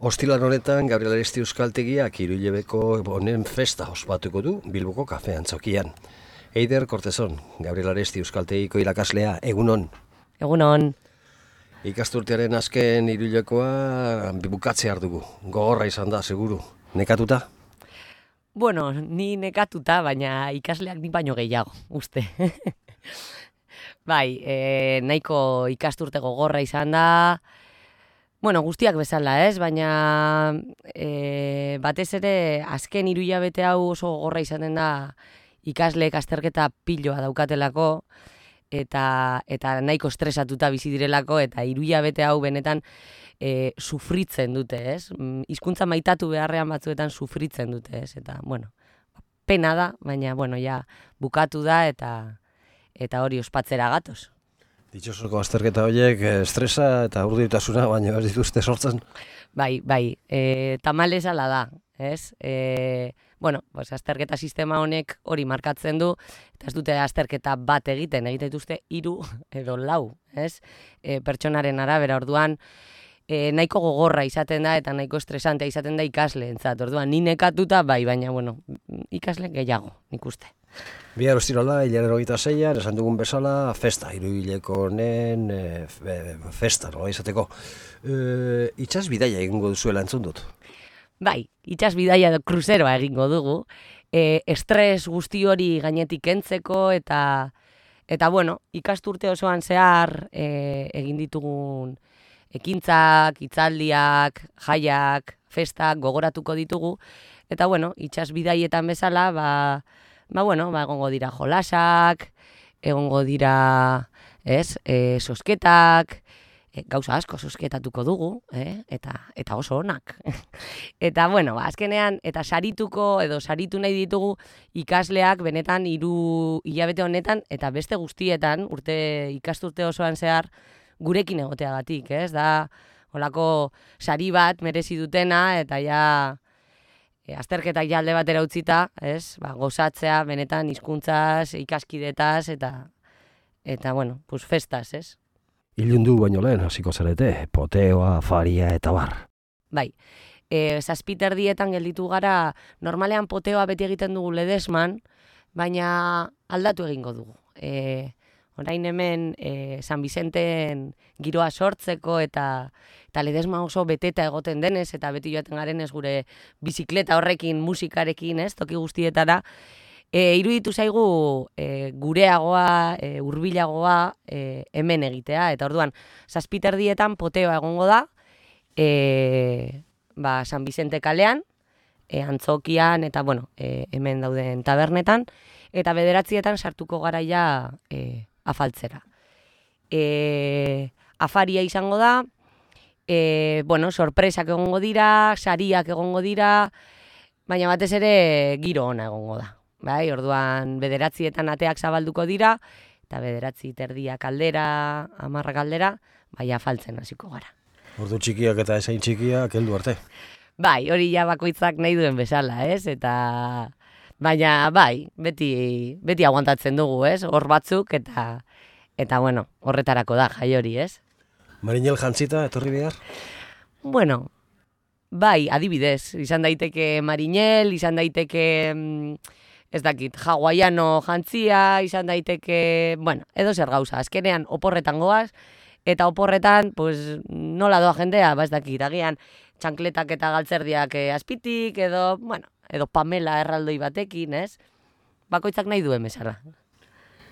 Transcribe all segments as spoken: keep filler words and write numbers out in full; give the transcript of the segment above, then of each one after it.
Ostiral honetan Gabriel Aresti Euskaltegiak hiru hilabeko honen festa ospatuko du Bilboko kafe antzokian. Eider Kortezon, Gabriel Aresti Euskaltegiko irakaslea, egunon. Egunon. Ikasturtearen azken hiru hilabekoa bukatzea dugu. Gogorra izan da, seguru. Nekatuta? Bueno, ni nekatuta, baina ikasleak ni baino gehiago, uste. Bai, e, nahiko ikasturte gogorra izan da. Bueno, guztiak bezala, ez? Baina e, batez ere azken hiru hilabete hau oso gogorra izaten da ikasleek azterketa piloa daukatelako eta eta nahiko estresatuta bizi direlako eta hiru hilabete hau benetan e, sufritzen dute, ez? Hizkuntza maitatu beharrean batzuetan sufritzen dute, ez? Eta bueno, pena da, baina bueno, ja bukatu da eta eta hori ospatzera gatoz. Ditxosoko azterketa horiek estresa eta urduritasuna baina ez dituzte sortzen. Bai, bai, e, tamalez ala da, ez? E, bueno, pues azterketa sistema honek hori markatzen du, eta ez dute azterketa bat egiten, egiten dituzte hiru edo lau, ez? E, pertsonaren arabera, orduan, e, nahiko gogorra izaten da eta nahiko estresantea izaten da ikasleentzat. Orduan, ni nekatuta bai, baina, bueno, ikasle gehiago, nik uste. Bihar ostirala, hilaren hogeita seian, esan dugun bezala, festa, hiru hileko honen e, festa, nola izateko. E, itxas bidaia egingo duzuela entzun dut? Bai, itxas bidaia edo kruzeroa egingo dugu. E, estres guzti hori gainetik kentzeko eta, eta bueno, ikasturte osoan zehar e, egin ditugun ekintzak, hitzaldiak, jaiak, festak gogoratuko ditugu. Eta bueno, itxas bidaietan bezala, ba, Ba, bueno, ba, egongo dira jolasak, egongo dira, ez, e, sosketak, e, gauza asko sosketatuko dugu, eh? eta, eta oso onak. Eta, bueno, ba, azkenean, eta sarituko, edo saritu nahi ditugu ikasleak benetan hiru hilabete honetan, eta beste guztietan, urte ikasturte osoan zehar, gurekin egoteagatik, ez? Da, holako sari bat merezi dutena, eta ja... E, azterketak ja alde batera utzita, ez? Ba, gozatzea benetan hizkuntzaz, ikaskidetaz eta eta bueno, pues festas, ez? Ilundu baino lehen hasiko zarete, poteoa, afaria eta bar. Bai. E, zazpiterdietan gelditu gara, normalean poteoa beti egiten dugu ledesman, baina aldatu egingo dugu. E, orain hemen e, San Vicenten giroa sortzeko eta eta ledesma oso beteta egoten denez, eta beti joaten garen ez gure bizikleta horrekin, musikarekin, ez, toki guztietara, e, iruditu zaigu e, gureagoa, e, hurbilagoa e, hemen egitea, eta orduan, zazpiterdietan poteoa egongo da, e, ba, San Vicente kalean, e, antzokian, eta bueno, e, hemen dauden tabernetan, eta bederatzietan sartuko gara ja e, afaltzera. E, afaria izango da, E, bueno, sorpresak egongo dira, sariak egongo dira, baina batez ere giro ona egongo da. Bai, orduan bederatzietan ateak zabalduko dira, eta bederatzi terdiak aldera, hamarrak aldera, bai afaltzen hasiko gara. Ordu txikiak eta esain txikiak heldu arte. Bai, hori ja bakoitzak nahi duen bezala, ez? Eta baina bai, beti beti aguantatzen dugu, ez? Hor batzuk eta eta bueno, horretarako da jai hori, ez? Marinel jantzita, etorri behar? Bueno, bai, adibidez, izan daiteke marinel, izan daiteke, ez dakit, hawaiano jantzia, izan daiteke, bueno, edo zer gauza, azkenean oporretan goaz, eta oporretan, pues, nola doa jendea, ba ez dakit, agian txankletak eta galtzerdiak azpitik, edo, bueno, edo Pamela erraldoi batekin, ez? Bakoitzak nahi duen bezala.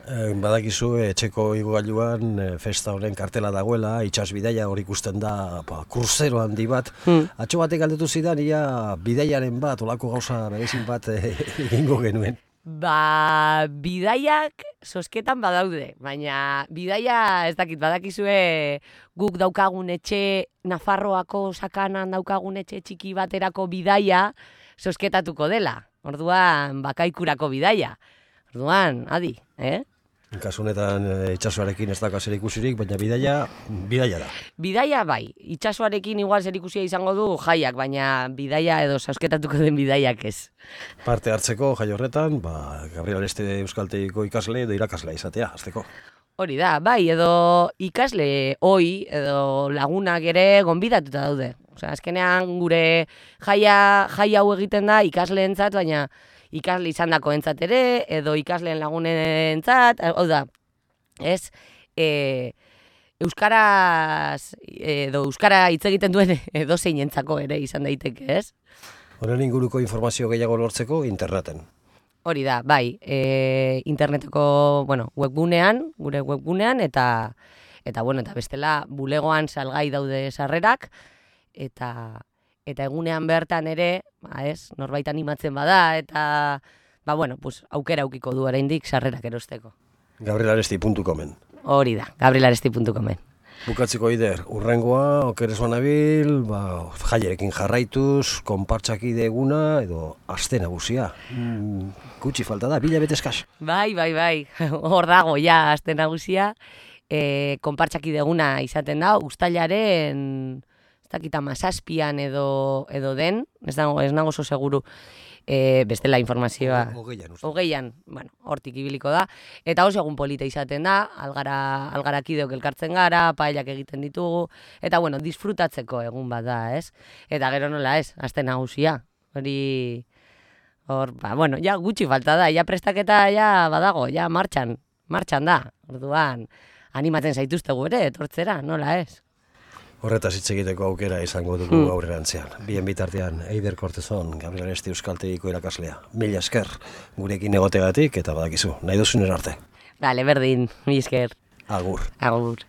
Badakizu, etxeko igogailuan festa honen kartela dagoela, itsas bidaia hori ikusten da, ba, kruzero handi bat. Hmm. Atxo batek galdetu zidan, ia bidaiaren bat, olako gauza berezin bat egingo genuen. Ba, bidaiak sosketan badaude, baina bidaia ez dakit, badakizue guk daukagun etxe, Nafarroako sakanan daukagun etxe txiki baterako bidaia sosketatuko dela. Orduan, bakaikurako bidaia. Orduan, adi, eh? Kasu honetan itsasoarekin ez dauka zer ikusirik, baina bidaia, bidaia da. Bidaia bai, itsasoarekin igual zer ikusia izango du jaiak, baina bidaia edo sausketatuko den bidaiak ez. Parte hartzeko jai horretan, ba, Gabriel Aresti Euskaltegiko ikasle edo irakaslea izatea, hasteko. Hori da, bai, edo ikasle hoi edo lagunak ere gonbidatuta daude. Osea, azkenean gure jaia, jai hau egiten da ikasleentzat, baina ikasle izandakoentzat ere, edo ikasleen lagunentzat, hau da, ez, e, euskaraz, edo euskara hitz egiten duen edo zeinentzako ere izan daiteke, ez? Horren inguruko informazio gehiago lortzeko interneten. Hori da, bai, e, interneteko, bueno, webgunean, gure webgunean, eta, eta, bueno, eta bestela bulegoan salgai daude sarrerak, eta, eta egunean bertan ere, ba ez, norbait animatzen bada, eta, ba, bueno, pues, aukera aukiko du oraindik sarrerak erosteko. gabrielaresti puntu comen. Hori da, gabrielaresti puntu comen. Bukatzeko Ider, urrengoa, okeres banabil, ba, jaierekin jarraituz, konpartsakide eguna, edo aste nagusia. Mm, gutxi falta da, bila bete eskas. Bai, bai, bai, hor dago, ja, aste nagusia, e, konpartsakide eguna izaten da, uztailaren, ez dakita mazazpian edo, edo den, ez nago, ez nago oso seguru, e, bestela informazioa. Hogeian, uste. Hogeian, bueno, hortik ibiliko da. Eta oso egun polita izaten da, algara, algarakideok elkartzen gara, paellak egiten ditugu, eta bueno, disfrutatzeko egun bat da, ez? Eta gero nola ez, aste nagusia. Hori, hor, ba, bueno, ja gutxi falta da, ja prestaketa ja badago, ja martxan, martxan da. Orduan, animatzen zaituztegu ere, etortzera, nola ez? Horretaz hitz egiteko aukera izango dugu Hmm. aurrerantzean. Bien bitartean, Eider Kortezon, Gabrielaresti Euskaltegiko irakaslea. Mila esker, gurekin egotegatik eta badakizu, nahi duzun arte. Bale, berdin, mi esker. Agur. Agur.